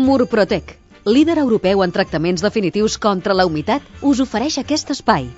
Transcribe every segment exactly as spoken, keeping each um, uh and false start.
Murprotec, líder europeu en tractaments definitius contra la humitat, us ofereix aquest espai.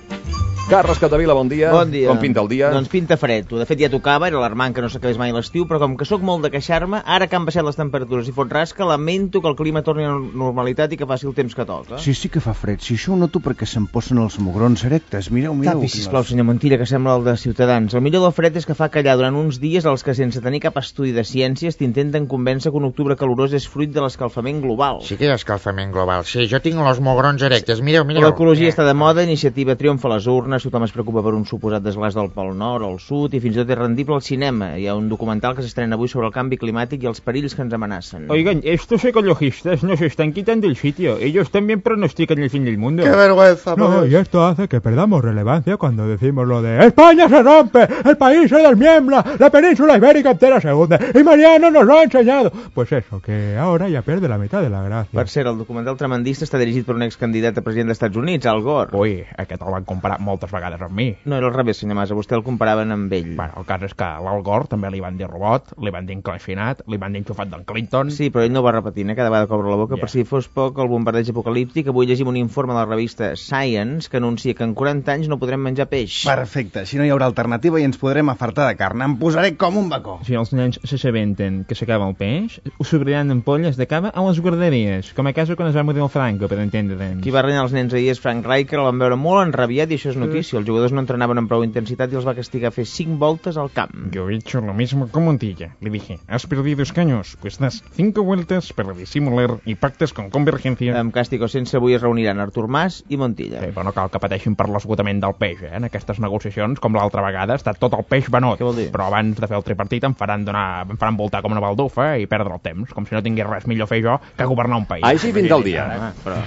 Carles Capdevila, bon dia. Bon dia. Com pinta el dia? Doncs pinta fred. De fet, ja tocava, era alarmant que no s'acabés mai l'estiu, però com que sóc molt de queixar-me, ara que han baixat les temperatures i fot rasca, lamento que el clima torni a la normalitat i que faci el temps que toca. Sí, sí que fa fred. Si això ho noto perquè se'm posen els mugrons erectes. Mireu, mireu. Tapi, sisplau, senyor Montilla, que sembla el de Ciutadans. El millor del fred és que fa callar durant uns dies els que, sense tenir cap estudi de ciències, t'intenten convèncer que un octubre calorós és fruit de l'escalfament global. Sí que hi ha escalfament global. Sí, jo tinc els mugrons erectes. Mireu, mireu. L'ecologia està de moda, iniciativa triomfa a les urnes, tothom es preocupa per un suposat desglàs del Pol Nord, al sud, i fins i tot és rendible al cinema. Hi ha un documental que s'estrena avui sobre el canvi climàtic i els perills que ens amenacen. Oigan, estos ecologistas nos están quitando el sitio. Ellos también pronostican el fin del mundo. ¡Qué vergüenza! No, y esto hace que perdamos relevancia cuando decimos lo de España se rompe, el país se desmiembra, la península ibérica entera se hunde, y Mariano nos lo ha enseñado. Pues eso, que ahora ya pierde la mitad de la gracia. Per cert, el documental tremendista està dirigit per un excandidat a president dels Estats Units, Al Gore. Ui, aquest el van comparar moltes vegades amb mi. No, era al revés, senyor Mas, a vostè el comparaven amb ell. Bueno, el cas és que l'Al Gore també li van dir robot, li van dir enclaixinat, li van dir enxufat d'en Clinton... Sí, però ell no ho va repetint, eh? Cada vegada que obre la boca, Yeah. per si fos poc el bombardeig apocalíptic. Avui llegim un informe de la revista Science que anuncia que en quaranta anys no podrem menjar peix. Perfecte, si no hi haurà alternativa i ens podrem afartar de carn. Em posaré com un bacó. Si els nens s'assabenten que s'acaba el peix, ho s'obriran ampolles de cava a les guarderies, com a casa quan es va morir el Franco, per entendre'ns. Qui va renyar els nens ahir és Frank Rijkaard, el van veure molt enrabiat i això és notícia. Els jugadors no entrenaven amb prou intensitat i els va castigar a fer cinc voltes al camp. Yo he hecho lo mismo con Montilla. Le dije, has perdido escaños, pues das cinco vueltas para disimular y pactes con Convergencia. Amb càstig o sense, avui es reuniran Artur Mas i Montilla. Sí, però no cal que pateixin per l'esgotament del peix, eh? En aquestes negociacions, com l'altra vegada, està tot el peix venut. Què vol dir? Però abans de fer el tripartit em faran, donar, em faran voltar com una baldufa i perdre el temps, com si no tingués res millor fer jo que governar un país. Així pinta el dia. Ah, però...